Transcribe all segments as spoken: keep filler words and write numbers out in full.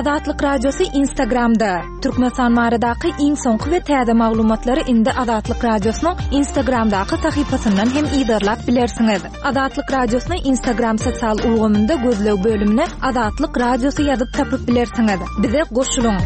Azatlyk Radiosy Instagramda. Türkmenistan baradaky iň soňky we täze maglumatlary indi Azatlyk Radiosynyň Instagramdaky sahypasyndan hem yzarlap bilersiňiz. Azatlyk Radiosyny Instagram sosial ulgamynda gözleg bölümine Azatlyk Radiosy ýazyp tapyp bilersiňiz. Bize goşulyň.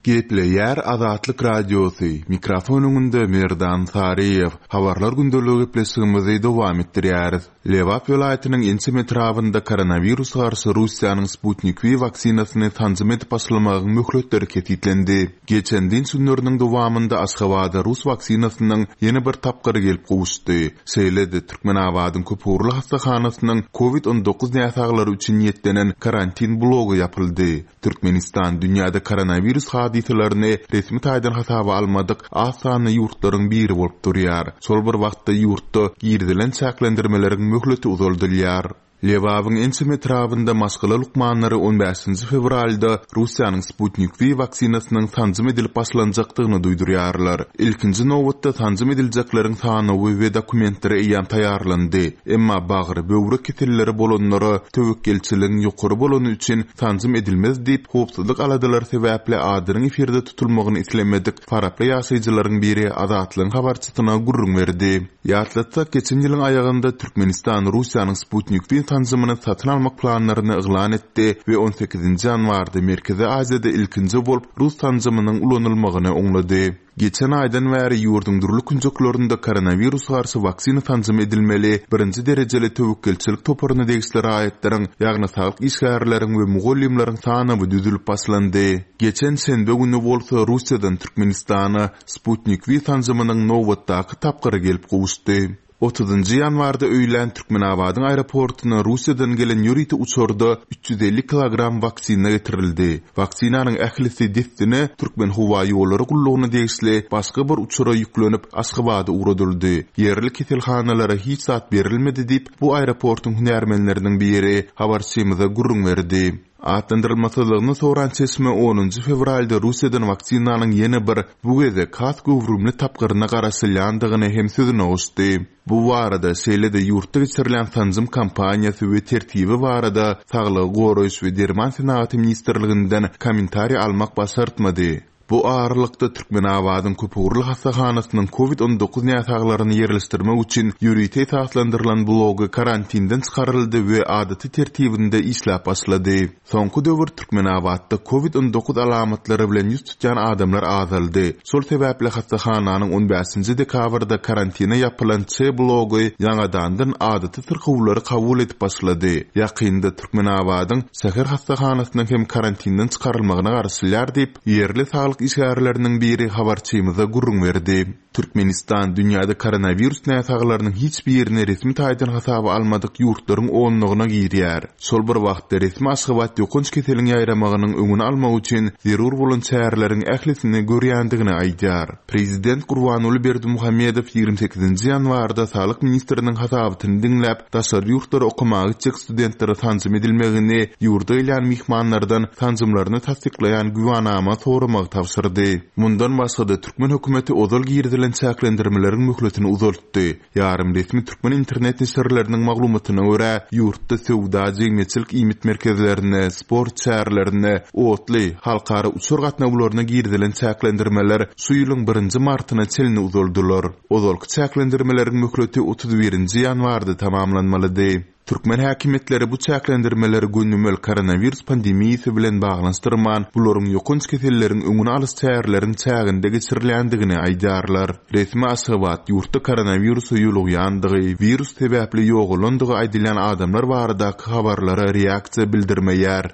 Gepleýär Azatlyk Radiosy. Mikrofon öňünde Merdan Saryýew. Habarlar gündeligi gepleşigimizi dowam etdirýäris. Lebap welaýatynyň ençeme etrabynda koronawirus garşy Russiýanyň Sputnik V waksinasyny sanjym edip başlamagyň möhletleri kesgitlendi. Geçen dynç günleriniň dowamynda Aşgabada rus waksinasynyň ýene bir tapgyry gelip gowuşdy. Şeýle-de Türkmenabadyň köpugurly hassahanasynyň COVID on dokuz näsaglary üçin niýetlenen karantin blogy ýapyldy. Türkmenistan dünýäde koronawirus hadysalaryny resmi taýdan hasaba almadyk az sanly ýurtlaryň biri bolup durýar. Şol bir wagtda ýurtda girizilen çäklendirmeleriň möhleti uzaldylýar. Lebabyň ençeme etrabynda maşgala lukmanlary on bäşinji fewralda Russiýanyň Sputnik V waksinasynyň sanjym edilip başlanjakdygyny duýdurýarlar. Ilkinji nobatda sanjym ediljekleriň sanawy we dokumentleri eýýäm taýýarlandy. Emma bagry, böwrek keselleri bolanlara töwekgelçiligiň ýokary bolany üçin sanjym edilmez diýip, howpsuzlyk aladalary sebäpli adynyň efirde tutulmagyny islemedik faraply ýaşaýjylaryň biri Azatlygyň habarçysyna gürrüň berdi. Ýatlatsak, geçen ýylyň aýagynda Türkmenistan Russiýanyň Sputnik V sanjymyny satyn almak planlaryny yglan etdi we on sekizinji ýanwarda Merkezi Aziýada ilkinji bolup Rus sanjymynyň ulanylmagyny oňlady. Geçen aýdan bäri ýurduň dürli künjeklerinde koronawirus garşy waksina sanjym edilmeli birinji derejeli töwekgelçilik toparyna degişli raýatlaryň, ýagny saglyk işgärleriň we mugallymlaryň sanawy düzülip başlandy. Geçen şenbe güni bolsa Russiýadan Türkmenistana Sputnik V sanjymynyň nobatdaky tapgyry gelip gowuşdy. Otuzynjy ýanwarda öýlän Türkmenabadyň aeroportuna Russiýadan gelen ýörite uçarda üç ýüz elli kilogram waksina getirildi. Waksinanyň ählisi dessine Türkmen howa ýollary gullugyna degişli başga bir uçara ýüklenip Aşgabada ugradyldy. Ýerli keselhanalara hiç zat berilmedi diýip, bu aeroportuň hünärmenleriniň biri habarçymyza gürrüň berdi. Atlandyrylmasyzlygyny soran çeşme onunjy fewralda Russiýadan waksinanyň ýene bir bu gezek has göwrümli tapgyryna garaşylýandygyny hem sözüne goşdy. Bu barada şeýle-de ýurtda geçirilen sanjym kampaniýasy we tertibi barada Saglygy goraýyş we derman senagaty ministrliginden kommentariý almak başartmady. Bu aralykda Türkmenabadyň köpugurly hassahanasynyň COVID on dokuz näsaglaryny ýerleşdirmek üçin ýörite esaslandyrylan blogy karantinden çykaryldy we adaty tertibinde işläp başlady. Soňky döwür Türkmenabatda COVID on dokuz alamatlary bilen ýüz tutýan adamlar azaldy. Şol sebäpli hassahananyň on bäşinji dekabrda karantina ýapylan Ç blogy ýaňadandan adaty syrkawlary kabul edip başlady. Ýakynda Türkmenabadyň şäher hassahanasynyň hem karantinden çykarylmagyna garaşylýar diýip, ýerli saglyk işgärleriniň biri habarçymyza gürrüň berdi. Türkmenistan dünýäde koronawirus näsaglarynyň hiç birini resmi taýdan hasaba almadyk ýurtlaryň onlugyna girýär. Şol bir wagtda resmi Aşgabat ýokanç keseliň ýaýramagynyň öňüni almak üçin zerur bolan çäreleriň ählisini görýändigini aýdýar. Prezident Gurbanguly Berdimuhamedow ýigrimi sekizinji ýanwarda Saglyk ministriniň hasabatyny diňläp, daşary ýurtlara okamaga gitjek studentlere sanjym edilmegini, ýurda gelýän myhmanlardan sanjymlaryny tassyklaýan güwanama soramagy tabşyrdy. Mundan başga-da türkmen hökümeti ozal girizilen çäklendirmeleriň möhletini uzaltdy. Ýarym resmi türkmen internet neşirleriniň maglumatyna görä, ýurtda söwda, jemgyýetçilik iýmit merkezlerine, sport çärelerine, otly, halkara uçar gatnawlaryna girizilen çäklendirmeler şu ýylyň birinji martyna çenli uzaldylar. Ozalky çäklendirmeleriň möhleti otuz birinji ýanwarda tamamlanmalydy. Türkmen häkimiýetleri bu çäklendirmeleri gönümel koronawirus pandemiýasy bilen baglanyşdyrman, bularyň ýokanç keselleriň öňüni alyş çäreleriň çäginde geçirilýändigini aýdýarlar. Resmi Aşgabat ýurtda koronawirusa ýolugýandygy, wirus sebäpli ýogalandygy aýdylýan adamlar baradaky habarlara reaksiýa bildirmeýär.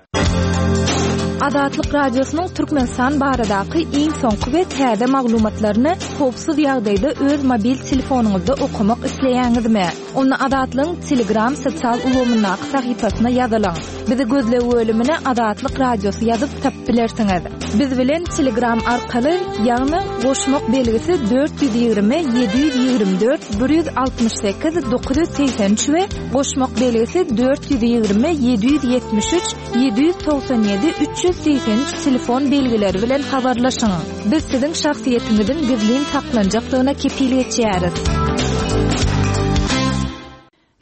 Azatlyk Radiosynyň Türkmenistan baradaky iň soňky we täze maglumatlaryny howpsuz ýagdaýda öz mobil telefonyňyzda okamak isleýäňizmi? Onda Azatlygyň Telegram sosial ulgamyndaky sahypasyna ýazylyň. Bizi gözleg bölümine Azatlyk Radiosy ýazyp tapyp bilersiňiz. Biz bilen Telegram arkaly, ýagny goşmak belgisi dört ýüz ýigrimi, ýedi ýüz ýigrimi dört, bir ýüz altmyş sekiz, dokuz ýüz segsen üç we goşmak belgisi dört ýüz ýigrimi, ýedi ýüz ýetmiş üç, ýedi ýüz togsan ýedi, üç ýüz segsen üç telefon belgileri bilen habarlaşyň. Biz siziň şahsyýetiňiziň gizlin saklanjakdygyna kepil geçýäris.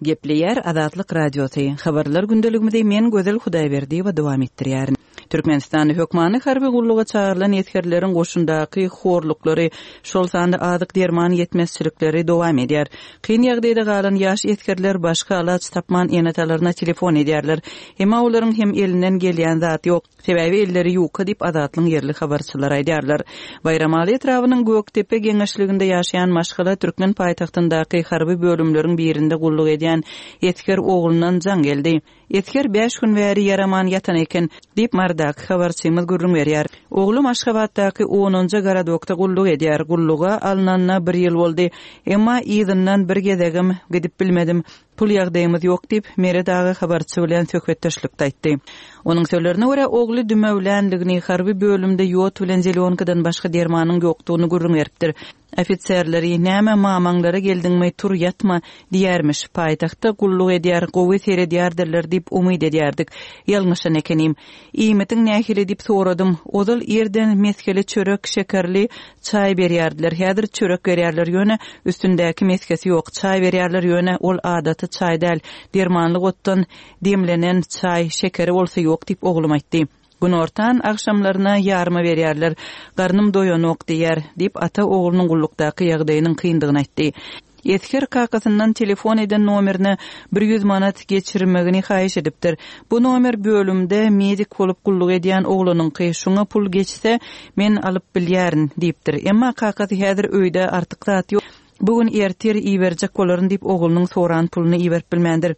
Gepleýär Azatlyk Radiosy. Habarlar gündeligimizi men Gözel Hudaýberdiýewa dowam etdirýärin. Türkmenistanda hökmany harby gulluga çagyrylan esgerleriň goşundaky horluklary, şol sanda azyk derman ýetmezçilikleri dowam edýär. Kyn ýagdaýda galan ýaş esgerler başga alaç tapman ene-atalaryna telefon edýärler. Emma olaryň hem elinden gelýän zat ýok. Sebäbi elleri ýuka diýip Azatlygyň ýerli habarçylary aýdýarlar. Baýramaly etrabynyň Gökdepe geňeşliginde ýaşaýan maşgala türkmen paýtagtyndaky harby bölümleriň birinde gulluk edýän esger oglundan jaň geldi. Esger bäş gün bäri ýaraman ýatan eken diýip Marydaky habarçymyz gürrüň berýär. Oglum Aşgabatdaky onunjy gorodokda gulluk edýär. Gulluga alnanyna bir ýyl boldy. Emma yzyndan bir gezegem gidip bilmedim. Pul ýagdaýymyz ýok diýip Meret aga habarçy bilen söhbetdeşlikde aýtdy. Onuň sözlerine görä ogly dümewlänligini harby bölümde ýod bilen zelýonkadan başga dermanyň ýokdugyny gürrüň beripdir. Ofiserleri näme mamaňlara geldiňmi tur ýatma diýermiş. Paýtagtda gulluk edýär, gowy seredýärdirler diýip umyt edýärdik. Ýalňyşan ekenim. Iýmitiň nähili diýip soradym. Ozal ýerden meskeli çörek, şekerli çaý berýärdiler. Häzir çörek berýärler ýöne üstündäki meskesi ýok. Çaý berýärler ýöne ol adaty çaý däl. Dermanlyk otdan demlenen çaý, şekeri bolsa ýok diýip oglum aýtdy. Günortan agşamlaryna ýarma berýärler. Garnym doýanok diýär diýip ata oglunyň gullukdaky ýagdaýynyň kyndygyny aýtdy. Esger kakasyndan telefon eden nomerine bir ýüz manat geçirmegini haýyş edipdir. Bu nomer bölümde medik bolup gulluk edýän oglunyňky şoňa pul geçse men alyp bilýärin diýipdir. Emma kakasy häzir öýde artyk zat ýok. Bugün ertir iberjek bolaryn diýip oglunyň soran puluny iberip bilmändir.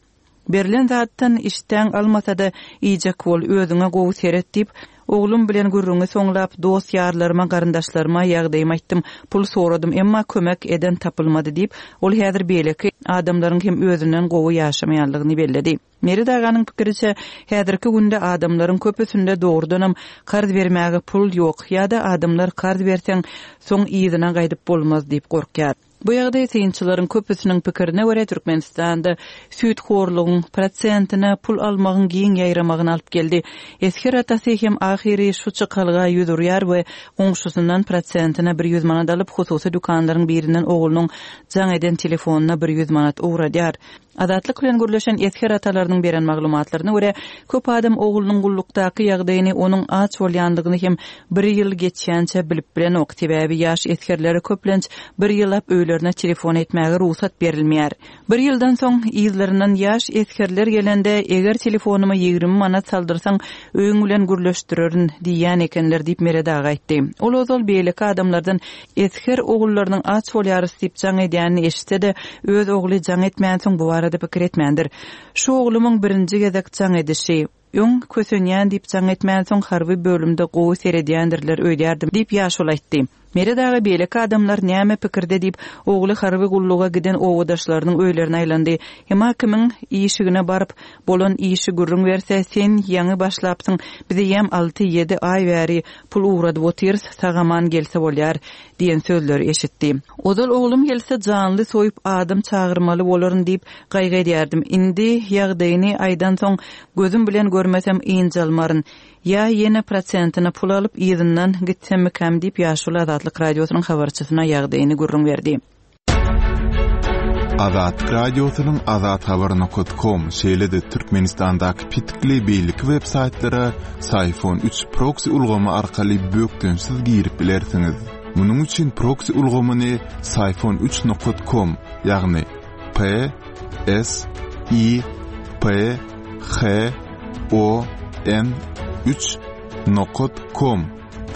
Berlen zatdan işdäň almasa-da iýjek bol, özüňe gowy seret diýip, oglum bilen gürrüňi soňlap, dost ýarlaryma, garyndaşlaryma ýagdaýymy aýtdym. Pul soradym, emma kömek eden tapylmady diýip, ol häzir beýleki adamlaryň hem özünden gowy ýaşamaýanlygyny belledi. Meret aganyň pikiriçe, häzirki günde adamlaryň köpüsinde dogrudanam karz bermäge pul ýok ýa-da adamlar karz berseň, soň yzyna gaýdyp bolmaz diýip gorkýar. Bu ýagdaý synçylaryň köpüsiniň pikirine görä Türkmenistanda süýthorlugyň prosentine pul almagyň giň ýaýramagyny alyp geldi. Esger atasy hem ahyry şu çykalga ýüz urýar we goňşusundan prosentine bir ýüz manat alyp, hususy dükanlaryň birinden oglunyň jaň eden telefonyna bir ýüz manat ugradýar. Azatlyk bilen gürleşen esger atalarynyň beren maglumatlaryna görä, köp adam oglunyň gullukdaky ýagdaýyny onuň aç bolýandygyny hem bir ýyl geçýänçe bilip bilenok. Sebäbi ýaş esgerlere köplenç bir ýyllap öýlerine telefon etmäge rugsat berilmeýär. Bir ýyldan soň yzlaryndan ýaş esgerler gelende, eger telefonyma ýigrimi manat saldyrsaň, öýüň bilen gürleşdirerin diýýän ekenler diýip Meret aga aýtdy. Ol ozal beýleki adamlardan esger ogullarynyň aç bolýarys diýip jaň edýänini eşitse-de, öz ogly jaň etmänsoň bu barada pikir etmändir. Şu oglumyň birinji gezek jaň edişi, öň kösenýän diýip jaň etmänsoň harby bölümde gowy seredýändirler öýdýärdim diýip ýaşuly aýtdy. Meret aga beýleki adamlar näme pikirde diýip, ogly harby gulluga giden owadaşlarynyň öýlerine aýlandy. Emma kimiň işigine baryp bolan işi gürrüň berse, sen ýaňy başlapsyň, bize ýem alty-ýedi aý bäri pul ugradyp otyrys, sagaman gelse bolýar diýen sözleri eşitdi. Ozal oglum gelse janly soýup adam çagyrmaly bolaryn diýip gaýgy edýärdim. Indi ýagdaýyny aýdan soň gözüm bilen görmesem ynjalmaryn. Ýa ýene prosentine pul alyp yzyndan gitsemmikäm diýip ýaşuly Azatlyk Radiosynyň habarçysyna ýagdaýyny gürrüň berdi. Azatlyk Radiosynyň azathabar nokta com şeýle-de Türkmenistandaky petikli beýleki web saýtlara Syfon üç proxy ulgamy arkaly bökdençsiz girip bilersiňiz. Munuň üçin proxy ulgamyny Syfon üç nokta com, ýagny P S I P H O N üç nokta com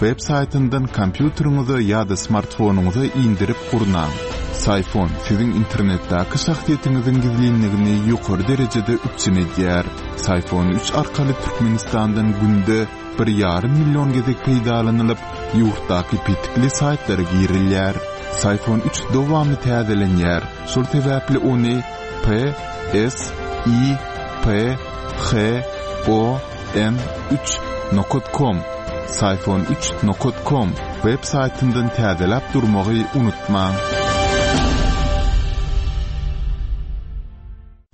web saýtyndan kompýuteriňize ýa-da smartfonyňyza indirip gurnaň. Syfon siziň internetdäki şahsyýetiňiziň gizlinligini ýokary derejede üpjün edýär. Syfon üç arkaly Türkmenistandan günde bir ýarym million gezek peýdalanylyp, ýurtdaky petikli saýtlara girilýär. Syfon üç dowamly täzelenýär. Şol sebäpli ony P S I P H O N üç nokta com, Syfon üç nokta com web saýtyndan täzeläp durmagy unutmaň.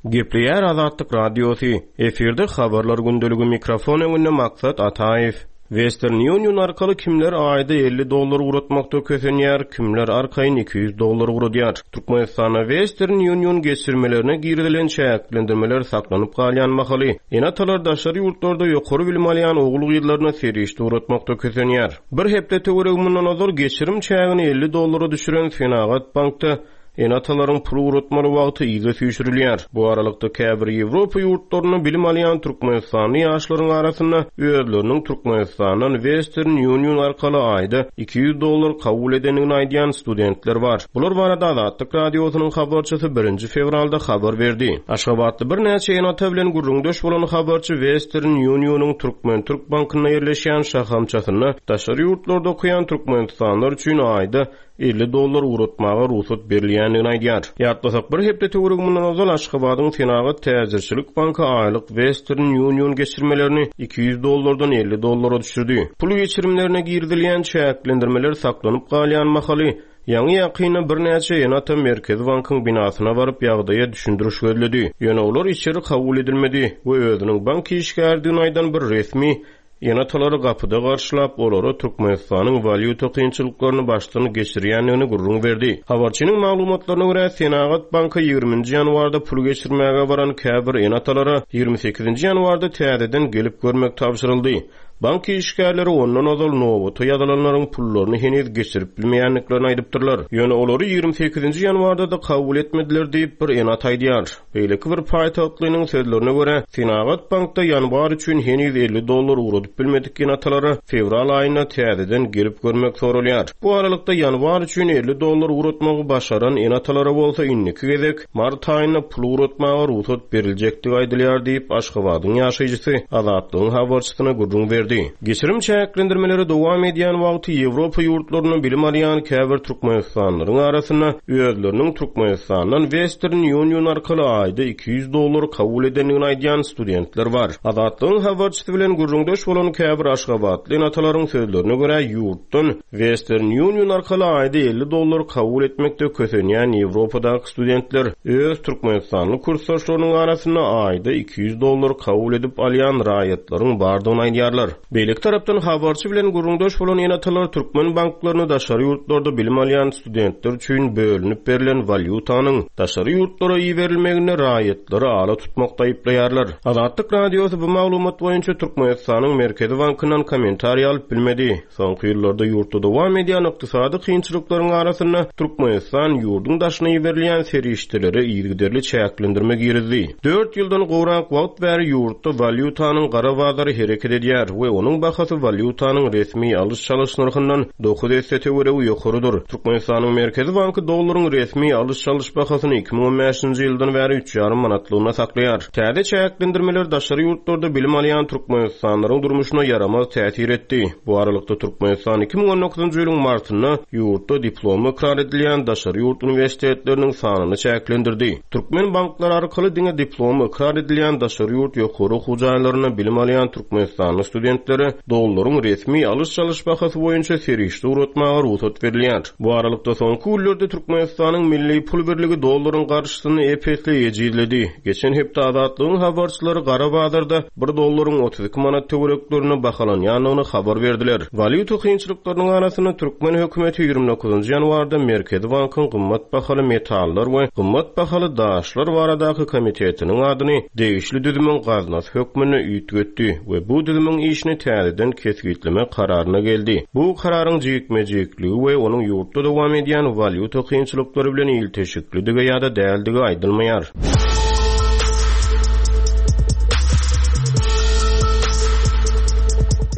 Gepleýär Azatlyk Radiosy. Efirde habarlar gündeligi mikrofon öňünde Maksat Ataýew. Western Union arkaly kimler aýda elli dollar ugratmakda kösenýär, kimler arkaýyn iki ýüz dollar ugradýar. Türkmenistanda Western Union geçirmelerine girizilen çäklendirmeler saklanyp galýan mahaly, ene-atalar daşary ýurtlarda ýokary bilim alýan ogul-gyzlaryna serişde ugratmakda kösenýär. Bir hepde töweregi mundan ozal geçirim çägini elli dollara düşüren Senagat bankda ene-atalaryň pul ugratmaly wagty yza süýşürilýär. Bu aralykda käbir Ýewropa ýurtlarynda bilim alýan Türkmenistanly ýaşlaryň arasynda özleriniň Türkmenistandan Western Union arkaly aýda iki ýüz dollar kabul edendigini aýdýan studentler bar. Bular barada Azatlyk radiosynyň habarçysy birinji fewralda habar berdi. Aşgabatda birnäçe ene-ata bilen gürrüňdeş bolan habarçy Western Union'yň Türkmen-Türk bankynda ýerleşýän şahamçasynda daşary ýurtlarda okaýan Türkmenistanlylar üçin aýda elli dollar ugratmaga rugsat berilýändigini aýdýar. Ýatlasak, bir hepde töweregi mundan ozal Aşgabadyň Senagat Täjirçilik banky aýlyk Western Union geçirmelerini iki ýüz dollardan elli dollara düşürdi. Pul geçirimlerine girizilýän çäklendirmeler saklanyp galýan mahaly ýaňy ýakynda birnäçe ene-ata Merkezi bankyň binasyna baryp ýagdaýa düşündiriş gözledi. Ýöne olar içeri kabul edilmedi we özüniň bank işgärdigini aýdan bir resmi ene-atalary gapyda garşylap, olara Türkmenistanyň walýuta kynçylyklaryny başdan geçirýändigini gürrüň berdi. Habarçynyň maglumatlaryna görä, Senagat banky ýigriminji ýanwarda pul geçirmäge baran käbir ene-atalara ýigrimi sekizinji ýanwarda täzeden gelip görmek tabşyryldy. Bank işgärleri ondan ozal nobata ýazylanlaryň pullaryny heniz geçirip bilmeýändiklerini aýdypdyrlar. Ýöne olary ýigrimi sekizinji ýanwarda da kabul etmediler diýip bir ene-ata aýdýar. Beýleki bir paýtagtlynyň sözlerine görä, Senagat bankda ýanwar üçin heniz elli dollar ugradyp bilmedik ene-atalara fewral aýynda täzeden gelip görmek soralýar. Bu aralykda ýanwar üçin elli dollar ugratmagy başaran ene-atalara bolsa indiki gezek mart aýynda pul ugratmaga rugsat beriljekdigi aýdylýar diýip Aşgabadyň ýaşaýjysy Azatlygyň habarçysyna gürrüň berdi. Geçirim çäklendirmeleri dowam edýän wagty Ýewropa ýurtlarynda bilim alýan käbir Türkmenistanlylaryň arasynda özleriniň Türkmenistandan Western Union arkaly aýda iki ýüz dollar kabul edendigini aýdýan studentler bar. Azatlygyň habarçysy bilen gürrüňdeş bolan käbir Aşgabatly ene-atalaryň sözlerine görä ýurtdan Western Union arkaly aýda elli dollar kabul etmekde kösenýän Ýewropadaky studentler öz Türkmenistanly kursdaşlarynyň arasynda aýda iki ýüz dollar kabul edip alýan raýatlaryň bardygyny aýdýarlar. Beýleki tarapdan habarçy bilen gürrüňdeş bolan ene-atalar türkmen banklaryny daşary ýurtlarda bilim alýan studentler üçin bölünip berlen walýutanyň daşary ýurtlara iberilmegine raýatlary ala tutmakda aýyplaýarlar. Azatlyk radiosy bu maglumat boýunça Türkmenistanyň Merkezi bankyndan kommentariý alyp bilmedi. Soňky ýyllarda ýurtda dowam edýän ykdysady kynçylyklaryň arasynda Türkmenistan ýurduň daşyna iberilýän serişdelere yzygiderli çäklendirme girizdi. Dört ýyldan gowrak wagt bäri ýurtda walýutanyň gara bazary hereket edýär we onuň bahasy walýutanyň resmi alyş-çalyş nyrhyndan dokuz esse töweregi ýokarydyr. Türkmenistanyň Merkezi banky dollaryň resmi alyş-çalyş bahasyny iki müň on bäşinji ýyldan bäri üç ýarym manatlygyna saklaýar. Täze çäklendirmeler daşary ýurtlarda bilim alýan Türkmenistanlylaryň durmuşyna ýaramaz täsir etdi. Bu aralykda Türkmenistan iki müň on dokuzynjy ýylyň martynda ýurtda diplomy ykrar edilýän daşary ýurt uniwersitetleriniň sanyny çäklendirdi. Türkmen banklary arkaly diňe diplomy ykrar edilýän daşary ýurt ýokary okuw jaýlarynda bilim alýan Türkmenistanly studentlere dollaryň resmi alyş-çalyş bahasy boýunça serişde ugratmaga rugsat berilýär. Bu aralykda soňky günlerde Türkmenistanyň milli pul birligi dollaryň garşysyny ep-esli ejizledi. Geçen hepde Azatlygyň habarçylary gara bazarda bir dollaryň otuz iki manat töwereklerine bahalanýandygyny habar berdiler. Walýuta kynçylyklarynyň arasynda Türkmen hökümeti ýigrimi dokuzynjy ýanwarda Merkezi bankyň gymmat bahaly metallar we gymmat bahaly daşlar baradaky komitetiniň adyny degişli düzümiň gaznasy hökmünde üýtgetdi we bu düzümiň işini täzeden kesgitleme kararyna geldi. Bu kararyň jikme-jikligi we onuň ýurtda dowam edýän walýuta kynçylyklary bilen ilteşiklidigi ýa-da däldigi aýdylmaýar.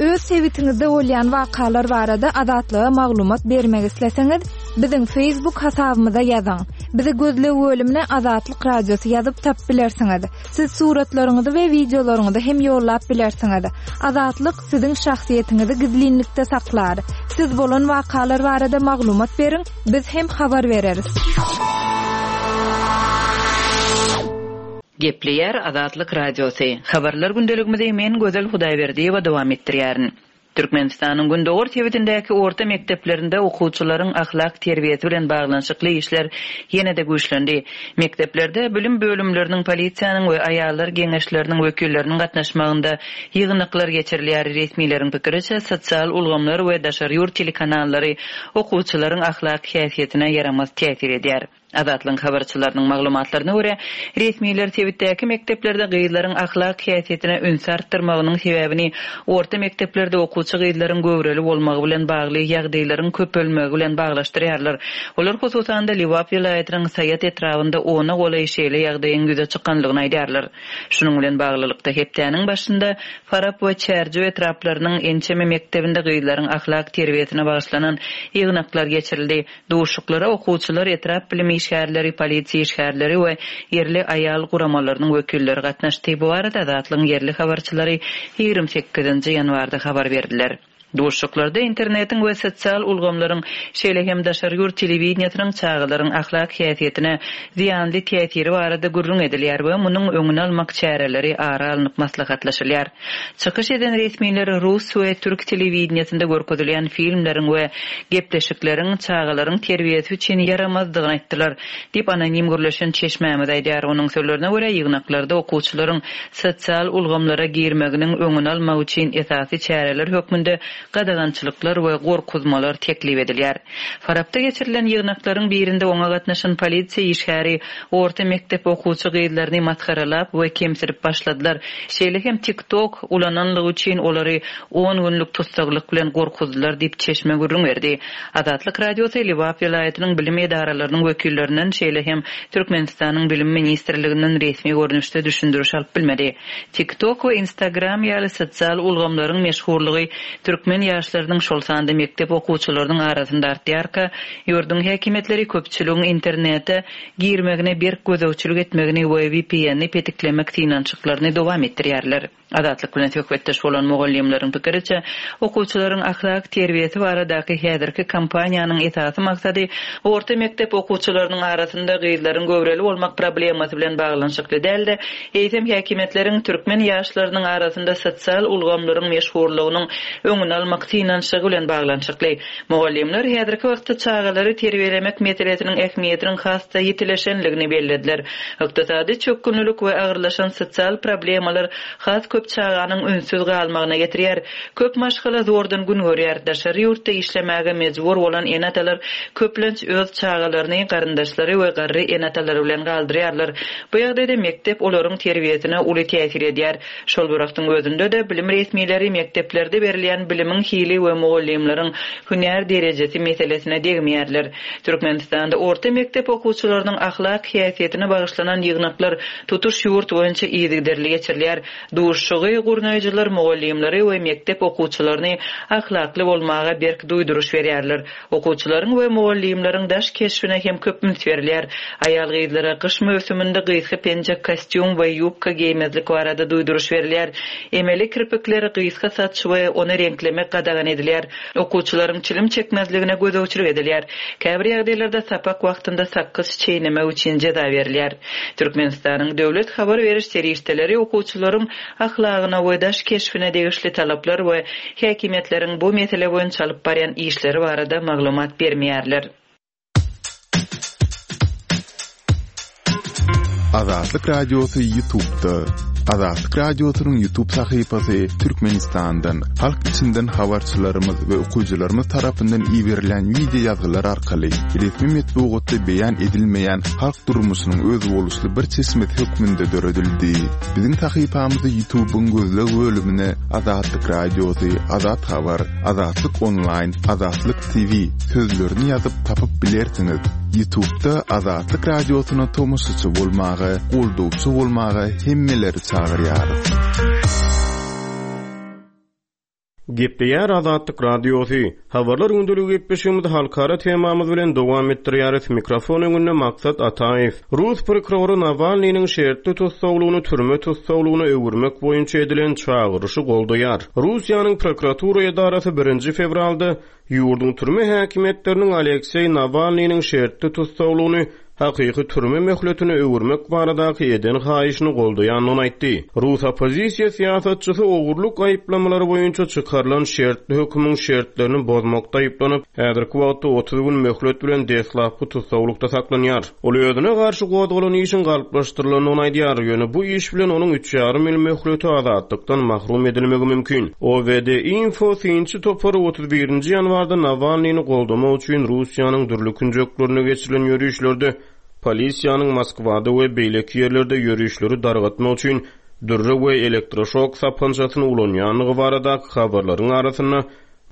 Öz sebitiňizde bolýan wakalar barada Azatlyga maglumat bermek isleseňiz, biziň Facebook hasabymyza ýazyň. Bizi gözleg bölümine Azatlyk radiosy ýazyp tap bilersiňiz. Siz suratlaryňyzy we wideolaryňyzy hem ýollap bilersiňiz. Azatlyk siziň şahsyýetiňizi gizlinlikde saklar. Siz bolan wakalar barada maglumat beriň, biz hem habar bereris. Gepleýär Azatlyk radiosy. Habarlar gündeligimizi men Gözel Hudaýberdiýewa dowam etdirýärin. Türkmenistanyň Gündogar sebitindäki orta mekdeplerinde okuwçylaryň ahlak terbiýesi bilen baglanyşykly işler ýene-de güýçlendi. Mekdeplerde bilim bölümleriniň, polisiýanyň we aýallar geňeşleriniň wekilleriniň gatnaşmagynda ýygnaklar geçirilýär. Resmileriň pikiriçe, sosial ulgamlar we daşary ýurt telekanallary okuwçylaryň ahlak häsiýetine ýaramaz täsir edýär. Azatlygyň habarçylarynyň maglumatlaryna görä, resmiler sebitdäki mekdeplerde gyzlaryň ahlak häsiýetine üns artdyrmagynyň sebäbini orta mekdeplerde okuwçy gyzlaryň göwreli bolmagy bilen bagly ýagdaýlaryň köpelmegi bilen baglaşdyrýarlar. Olar hususan-da Lebap welaýatynyň Saýat etrabynda ona golaý şeýle ýagdaýyň ýüze çykanlygyny aýdýarlar. Şunuň bilen baglylykda hepdäniň başynda Farap we Çärjew etraplarynyň ençeme mekdebinde gyzlaryň ahlak terbiýesine bagyşlanan ýygnaklar geçirildi. Duşuşyklara okuwçylar, etrap bilim işgärleri, polisiýa işgärleri we ýerli aýal guramalarynyň wekilleri gatnaşdy. Bu barada Azatlygyň ýerli habarçylary ýigrimi sekizinji ýanwarda habar berdiler. Duşuşyklarda internetiň we sosial ulgamlaryň, şeýle hem daşary ýurt telewideniýesiniň çagalaryň ahlak häsiýetine zyýanly täsiri barada gürrüň edilýär we munuň öňüni almak çäreleri ara alnyp maslahatlaşylýar. Çykyş eden resmiler rus we türk telewideniýesinde görkezilýän filmleriň we gepleşikleriň çagalaryň terbiýesi üçin ýaramazdygyny aýtdylar, diýip anonim gürleşen çeşmämiz aýdýar. Onuň sözlerine görä, ýygnaklarda okuwçylaryň sosial ulgamlara girmeginiň öňüni almak üçin esasy çäreler hökmünde gadagançylyklar we gorkuzmalar teklip edilýär. Farapda geçirilen ýygnaklaryň birinde oňa gatnaşan polisiýa işgäri orta mekdep okuwçy gyzlaryny masgaralap we kemsidip başladylar. Şeýle hem TikTok ulananlygy üçin olary on günlük tussaglyk bilen gorkuzdylar diýip çeşme gürrüň berdi. Azatlyk Radiosy Lebap welaýatynyň bilim edaralarynyň wekillerinden, şeýle hem Türkmenistanyň Bilim ministrliginden resmi görnüşde düşündiriş alyp bilmedi. TikTok we Instagram ýaly sosial ulgamlaryň meşhurlygy türkmen ýaşlarynyň, şol sanda mekdep okuwçylarynyň arasynda artýarka, ýurduň häkimiýetleri köpçüligiň internete girmegine berk gözegçilik etmegini we V P N-ni petiklemek synanyşyklaryny dowam etdirýärler. Azatlyk bilen söhbetdeş bolan mugallymlaryň pikiriçe, okuwçylaryň ahlak terbiýesi baradaky häzirki kampaniýanyň esasy maksady orta mekdep okuwçylarynyň arasynda gyzlaryň göwreli bolmak problemasy bilen baglanyşykly däl-de, eýsem häkimiýetleriň türkmen ýaşlarynyň arasynda sosial ulgamlaryň meşhurlygynyň öňüni almak synanyşygy bilen baglanyşykly. Mugallymlar häzirki wagtda çagalary terbiýelemek meselesiniň ähmiýetiniň has-da ýitileşenligini bellediler. Ykdysady çökgünlilik we agyrlaşan sosial problemalar has köp çaganyň ünsüz galmagyna getirýär. Köp maşgala zordan gün görýär. Daşary ýurtda işlemäge mejbur bolan ene-atalar köplenç öz çagalaryny, garyndaşlary we garry ene-atalary bilen galdyrýarlar. Bu ýagdaýda mekdep olaryň terbiýesine uly täsir edýär. Şol bir wagtyň özünde-de bilim resmileri mekdeplerde berilýän bilimiň hili we mugallymlaryň hünär derejesi meselesine degmeýärler. Türkmenistanda orta mekdep okuwçylarynyň ahlak häsiýetine bagyşlanan ýygnaklar tutuş ýurt boýunça yzygiderli geçirilýär. Duşuşygy gurnaýjylar mugallymlary we mekdep okuwçylaryny ahlakly bolmaga berk duýduryş berýärler. Okuwçylaryň we mugallymlaryň daş keşbine hem köp üns berilýär. Aýal gyzlara gyş möwsüminde gysga penjek, kostýum we ýubka geýmezlik barada duýduryş berilýär. Emeli kirpikleri gysga saç we ony reňklemek gadagan edilýär. Okuwçylaryň çilim çekmezligine gözegçilik edilýär. Käbir ýagdaýlarda sapak wagtynda sakgyç çeýnemek üçin jeza berilýär. Türkmenistanyň döwlet habar beriş serişdeleri okuwçylaryň ahlagyna we daş keşbine degişli talaplar we häkimiýetleriň bu mesele boýunça alyp barýan işleri barada maglumat bermeýärler. Azatlyk Radiosy YouTube'da. Azatlyk Radiosynyň YouTube sahypasy Türkmenistandan, halk içinden habarçylarymyz we okyjylarymyz tarapyndan iberilen video ýazgylar arkaly resmi metbugatda beýan edilmeýän halk durmuşynyň özboluşly bir çeşmesi hökmünde döredildi. Biziň sahypamyzy YouTube'yň gözleg bölümine Azatlyk Radiosy, Azat Habar, Azatlyk Online, Azatlyk T V sözlerini ýazyp tapyp bilersiňiz. YouTube'da Azatlyk Radiosyna tomaşaçy bolmaga, goldawçy bolmaga hemmeleri çagyrýarys. Gepleýär Azatlyk Radiosy. Habarlar gündeligi gepleşigimizi halkara temamyz bilen dowam etdirýäris. Mikrofon öňünde Maksat Ataýew. Rus prokurory Nawalnynyň şertli tussaglygyny türme tussaglygyna öwürmek boýunça edilen çagyryşy goldaýar. Russiýanyň prokuratura edarasy birinji fewralda ýurduň türme häkimiýetleriniň Alekseý Nawalnynyň şertli tussaglygyny hakyky türme möhletine öwürmek baradaky eden haýyşyny goldaýandygyny aýtdy. Rus oppozisiýa syýasatçysy ogurlyk aýyplamalary boýunça çykarylan şertli hökümiň şertlerini bozmakda aýyplanyp, häzirki wagtda otuz gün möhlet bilen deslapky tussaglykda saklanýar. Ol özüne garşy gozgalan işiň galplaşdyrylandygyny aýdýar, ýöne bu iş bilen onuň üç ýarym ýyl möhleti azatlykdan mahrum edilmegi mümkin. O V D Info synçy topary otuz birinji ýanwarda Nawalnyny goldamak üçin Russiýanyň dürli künjeklerine geçirilen ýörişlerde polisiýanyň Moskwada we beýleki ýerlerde ýörişleri dargatmak üçin dürre we elektroşok sapançasyny ulanýandygy baradaky habarlaryň arasynda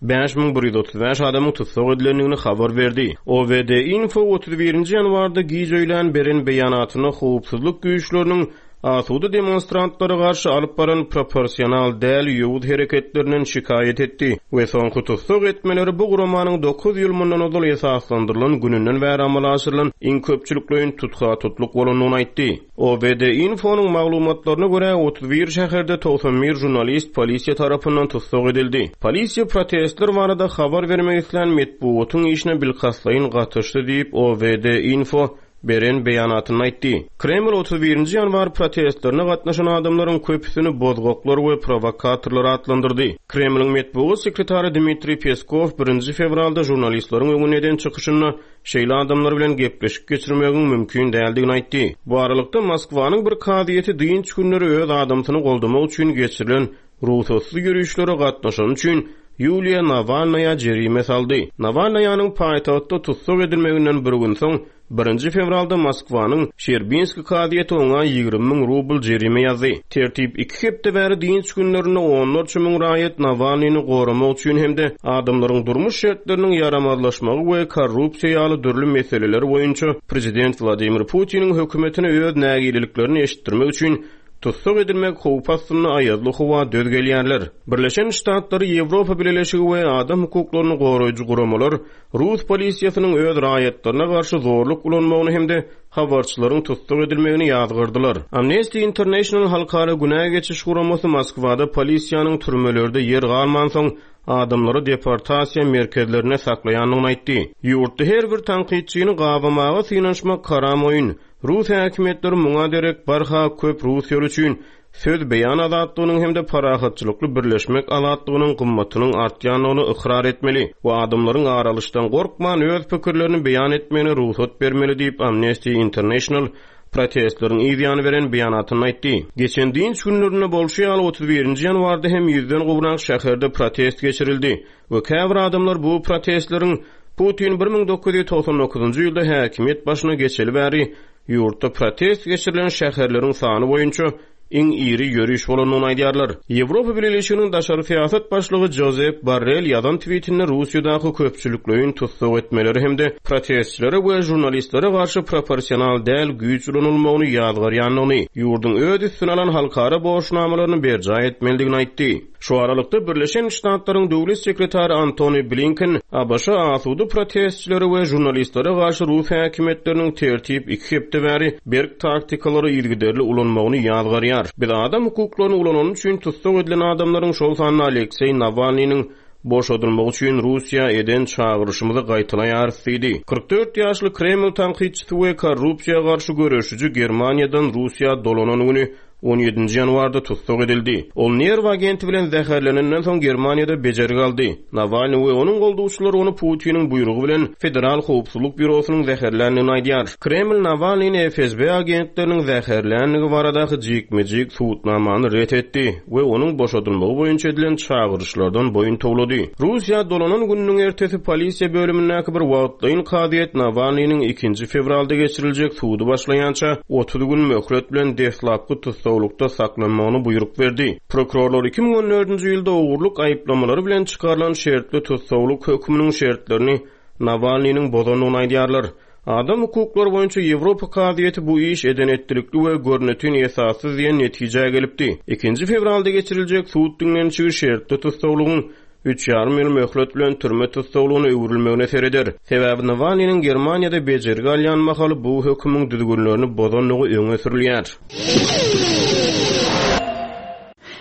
bäş müň bir ýüz otuz bäş adamyň tussag edilendigini habar berdi. O V D Info otuz birinji ýanwarda giç öýlän beren beýanatynda howpsuzlyk güýçleriniň asuda demonstrantlara garşy alyp baran proporsional däl ýowuz hereketlerinden şikaýat etdi we soňky tussag etmeleri bu guramanyň dokuz ýyl mundan ozal esaslandyrylan gününden bäri amala aşyrylan iň köpçülikleýin tutha-tutluk bolandygyny aýtdy. O V D Info'nyň maglumatlaryna görä otuz bir şäherde togsan bir žurnalist polisiýa tarapyndan tussag edildi. Polisiýa protestler barada habar bermek islän metbugatyň işine bilkastlaýyn gatyşdy diýip O V D Info beren beýanatyny aýtdy. Kreml otuz birinji ýanwar protestlerine gatnaşan adamlaryň köpüsini bozgaklar we prowokatorlar atlandyrdy. Kremliň metbugat sekretary Dmitriý Peskov birinji fewralda žurnalistleriň öňünde eden çykyşynda şeýle adamlar bilen gepleşik geçirmegiň mümkin däldigini aýtdy. Bu aralykda Moskwanyň bir kazyýeti dynç günleri öz adamsyny goldamak üçin geçirilen rugsatsyz ýörişlere gatnaşan üçin Ýuliýa Nawalnaýa jerime saldy. Nawalnaýanyň paýtagtda tussag edilmeginden bir gün soň birinji fewralda Moskwanyň Şerbinski kazyýeti oňa ýigrimi müň rubl jerime ýazdy. Tertip iki hepde bäri dynç günlerinde onlarça müň raýat Nawalnyny goramak üçin hem-de adamlaryň durmuş şertleriniň ýaramazlaşmagy we korrupsiýa ýaly dürli meseleler boýunça prezident Wladimir Putiniň hökümetine öz nägileliklerini eşitdirmek üçin tussag edilmek howpy astynda aýazly howa döz gelýärler. Birleşen Ştatlary, Ýewropa Bileleşigi we adam hukuklaryny goraýjy guramalar Rus polisiýasynyň öz raýatlaryna garşy zorluk ulanmagyny hem-de habarçylaryň tussag edilmegini ýazgyrdylar. Amnesty International halkara günä geçiş guramasy Moskwada polisiýanyň türmelerde ýer galmansoň adamlary deportasiýa merkezlerine saklaýandygyny aýtdy. Ýurtda her bir tankytçyny gabamaga synanyşmak haram oýun. Rus häkimiýetleri muňa derek barha köp Russiýaly üçin söz beýan azatlygynyň hem-de parahatçylykly birleşmek azatlygynyň gymmatynyň artýandygyny ykrar etmeli we adamlaryň aralyşdan gorkman öz pikirlerini beýan etmegine rugsat bermeli diýip Amnesty International protestleriň yz ýany beren beýanatyny aýtdy. Geçen dynç günlerinde bolşy ýaly otuz birinji ýanwarda hem ýüzden gowrak şäherde protest geçirildi we käbir adamlar bu protestleriň Putin bir müň dokuz ýüz togsan dokuzynjy ýylda häkimiýet başyna geçeli bäri ýurtda protest geçirilen şäherleriň sany boýunça iň iri ýöriş bolandygyny aýdýarlar. Ýewropa Bileleşiginiň daşary syýasat başlygy Josep Borrell ýazan tweetinde Russiýadaky köpçülikleýin tussag etmeleri hem-de protestçilere we žurnalistlere garşy proporsional däl güýç ulanylmagyny ýazgarýandygyny, ýurduň öz üstüne alan halkara borçnamalaryny berjaý etmelidigini aýtdy. Şu aralykda Birleşen Ştatlaryň döwlet sekretary Antony Blinken A B Ş asuda protestçilere we žurnalistlere garşy Rus häkimiýetleriniň tertip iki hepde bäri berk taktikalary yzygiderli ulanmagyny ýazgarýar. Biz adam hukuklaryny ulanany üçin tussag edilen adamlaryň, şol sanda Alekseý Nawalnynyň boşadylmagy üçin Russiýa eden çagyryşymyzy gaýtalaýarys diýdi. Kyrk dört ýaşly Kreml tankytçysy we korrupsiýa garşy göreşiji Germaniýadan Russiýa dolanan güni on ýedinji ýanwarda tussag edildi. Ol nerw agenti bilen zäherlenenden soň Germaniýada bejergi aldy. Nawalny we onuň goldawçylary ony Putiniň buýrugy bilen Federal Howpsuzlyk Býurosynyň zäherländigini aýdýar. Kreml Nawalnyny F S B agentleriniň zäherländigi baradaky jikme-jik subutnamany ret etdi we onuň boşadylmagy boýunça edilen çagyryşlardan boýun towlady. Russiýa dolanan gününiň ertesi polisiýa bölümindäki bir wagtlaýyn kazyýet Nawalnynyň ikinji fewralda geçiriljek sudy başlaýança otuz gün möhlet bilen deslapky tussaglykda saklanmagyny buýruk berdi. Prokurorlar iki müň on dördünji ýylda ogurlyk aýyplamalary bilen çykarylan şertli tussaglyk höküminiň şertlerini Nawalnynyň bozandygyny aýdýarlar. Adam hukuklary boýunça Ýewropa kazyýeti bu iş eden etdilikli we görnetin esassyz diýen netijä gelipdi. Ikinji fewralda geçiriljek sud diňlenişigi şertli tussaglygyň üç ýarym ýyl möhlet bilen türme tussaglygyna öwrülmegine sereder. Sebäbi Nawalnynyň Germaniýada bejergi alýan mahaly bu hökümiň düzgünlerini bozandygy öňe sürülýär.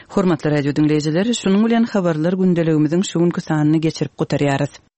Hormatly radio dinleýjiler, şunuň bilen habarlar gündeligimiziň şu günki sanyny geçirip gutarýarys.